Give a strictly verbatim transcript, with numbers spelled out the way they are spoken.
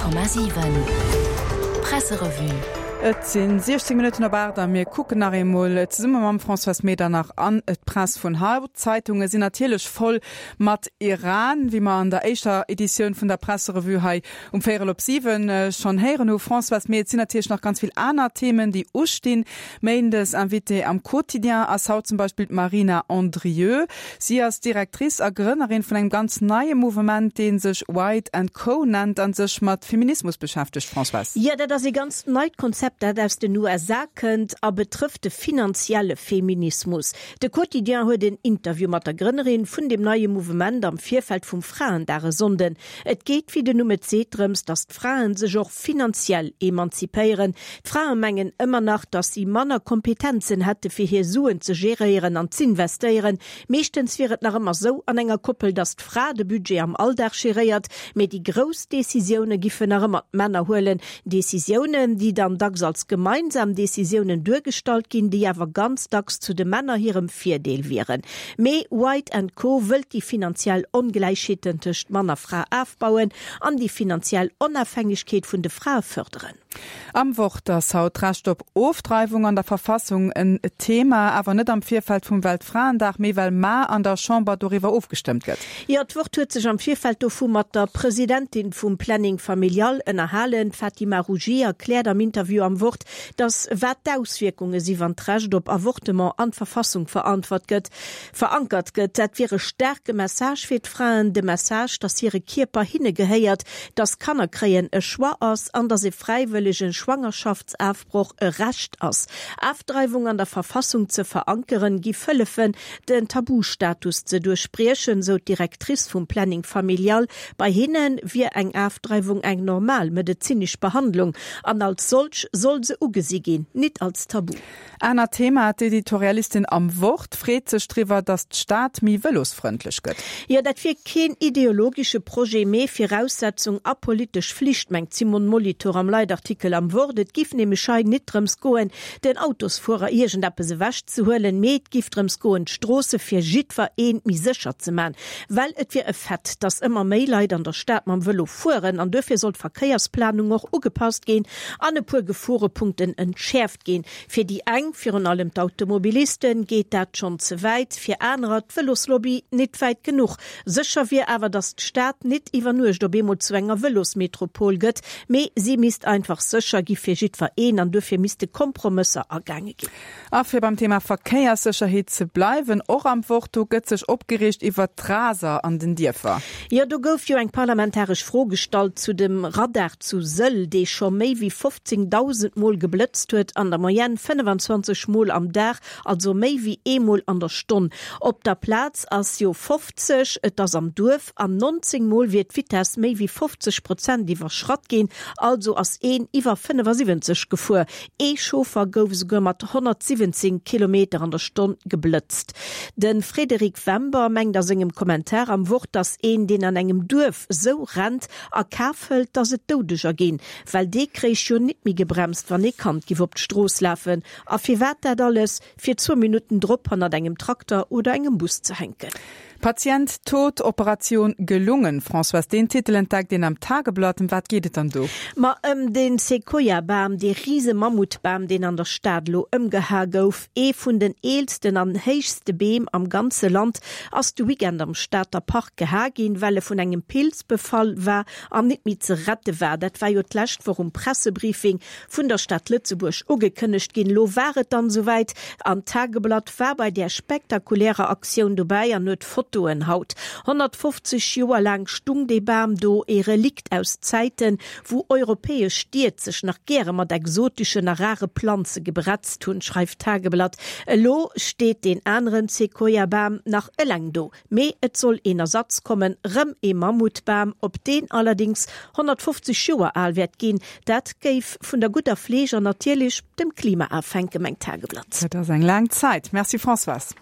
Honnert Komma siwen Presserevue. Et sinn siechzéng Minutten op aacht a mir kucken nach eemol zesumme mam Françoise Medernach an d'Press vun haut. D'Zeitunge sinn natierlech voll mat Iran, wéi mer an der éischter Editioun vun der Presserevue hei um véierel op siwen schonn héieren hu. Françoise, mee et sinn natierlech nach ganz vill aner Themen, déi ustinn. Méindes Invitée am Quotidien ass haut zum Beispill d'Marina Andrieux. Si ass Directrice a Grënnerin vun engem ganz neie Mouvement, dee sech White and Co nennt a sech mat Feminismus beschäftegt. Françoise. Jo, dat ass ee ganz neit Konzept, dat aus den U S A kënnt a betrëfft de finanzielle Feminismus. De Quotidien huet en Interview mat der Grënnerin vun deem neie Mouvement am Virfeld vum Fraendag e Sonnden. Et geet, wéi den Numm et seet, drëms, datt d'Fraen sech och finanziell emanzipéieren. D'Frae mengen ëmmer nach, datt si manner Kompetenzen hätte fir hir Suen ze geréieren an z'investéieren. Meeschtens wier et nach ëmmer sou an enger Koppel, datt d'Fra de Budget am Alldag geréiert, mee déi grouss Decisioune giffen nach ëmmer d'Männer huelen. Decisiounen, déi dann dacks als gemeinsam Decisiounen duergestallt ginn, déi awer ganz dacks zu de Männer hirem Virdeel wieren. Mee White and Co wëllt déi finanziell Ongläichheeten tëscht Mann a Fra afbauen an déi finanziell Onafhängegkeet vun de Frae fërderen. Am Wort ass haut d'Recht op Ofdreiwung an der Verfassung en Thema, awer net am Virfeld vum Weltfraendag, mee well mar an der Chamber doriwwer ofgestëmmt gëtt. Jo, d'Wort huet sech am Virfeld dovu mat der Presidentin vum Planning Familial ënnerhalen. D'Fatima Rougi erkläert am Interview am Wort, datt wat d'Auswierkunge si wann d'Recht op Avortement an d'Verfassung verantwort gëtt, verankert gëtt. Dat wier e staarke Message fir d'Fraen, de Message, datt hire Kierper hinne gehéiert, datt Kanner kréien e Choix ass an datt e fräiwëllege Schwangerschaftsafbroch e Recht ass. Afdreiwung an der Verfassung ze verankeren, giff hëllefen, den Tabustatus ze duerchbriechen, sou d'Directrice vum Planning Familial. Bei hinne wier eng Afdreiwung eng normal medezinesch Behandlung an als solch soll se ugesi ginn, nit als Tabu. Anert Thema, d'Editorialistin am Wort freet sech driwwer, datt d'Stad méi vëlosfrëndlech gëtt. Jo, dat wier keen ideologesche Projet, mee Viraussetzung a politesch Flicht, mengt d'Simone Molitor am Leitartikel am Wort. Et giff nämlech hei nit drëms goen, den Autosfuerer iergendeppes ewechzehuelen, mee et giff drëms goen, d'Stroosse fir jiddwer een méi sécher ze man. Well et wier e Fait, datt ëmmer méi Leit an der Stad mam Vëlo fueren an duerfir soll d'Verkéiersplanung och ugepasst ginn an e puer Geforepunkten entschäerft ginn. Fir déi eng, virun allem d'Automobilisten, geet dat schonn ze wäit, fir anerer, d'Vëloslobby, nit wäit genuch. Sécher wier awer, datt d'Stad nit iwwer Nuecht op eemol zu enger Vëlosmetropol gëtt, mee si misst einfach sécher gi fir jiddwer een an duerfir misste Kompromësser agaange ginn. A fir beim Thema Verkéierssécherheet ze bleiwen, och am Wort, do gëtt sech opgereegt iwwer d'Raser an den Dierfer. Jo, do gouf jo eng parlamentaresch Fro gestallt zu dem Radar zu Sëll, dee scho méi wéi fofzéngdausend Mol geblëtzt huet, an der Moyenne fënnefenzwanzeg Mol am Dag, also méi wéi eemol an der Stonn. Op der Plaz ass jo fofzeg, et ass am Duerf, an nonzéng Mol wier d'Vitess méi wéi fofzeg Prozent iwwerschratt ginn, also ass een iwwer fënnefasiwwenzeg gefuer. Ee Chauffer gouf esouguer mat honnertsiwwenzéng Kilometer an der Stonn geblëtzt. De Frédéric Wember mengt a sengem Kommentar am Wort, datt een, deen an engem Duerf sou rennt, a Kaf hëlt, datt et Doudeger ginn, well dee kréich jo nit méi gebremst, wann ee Kand giff op d'Strooss lafen. A firwat dat alles? Fir zwou Minutten drop hannert engem Trakter oder engem Bus ze hänken. Patient tot, Operation gelungen. Françoise, deen Titel entdeckt een am Tageblatt. Ëm wat geet et dann do? Ma ëm den Sequoia-Bam, dee rise Mammutbam, deen an der Stad elo ëmgeha gouf. Ee vun den eelsten an héichste Beem am ganze Land ass de Weekend am Stater Park geha ginn, well e vun engem Pilz befall war an nit méi ze rette war. Dat war jo d'lescht Woch um Pressebriefing vun der Stad Lëtzebuerg ugekënnegt ginn. Elo war et dann esouwäit an d'Tageblatt war bei där spektakulärer Aktioun dobäi an huet Fotoen haut. Honnertfofzeg Joer laang stung dee Bam do, ee Relikt aus Zäiten, wou europäesch Stied sech nach gäre mat exoteschen a rare Planze gebretzt hunn, schreift d'Tageblatt. Elo steet deen aneren Sequoia-Bam nach eleng do. Mee et soll een Ersatz kommen, rëm ee Mammutbam, op deen allerdéngs honnertfofzeg Joer al wäert ginn. Dat géif vun der gudder Fleeg an natierlech dem Klima afhänken, mengt d'Tageblatt. Dat ass eng laang Zäit. Merci Françoise.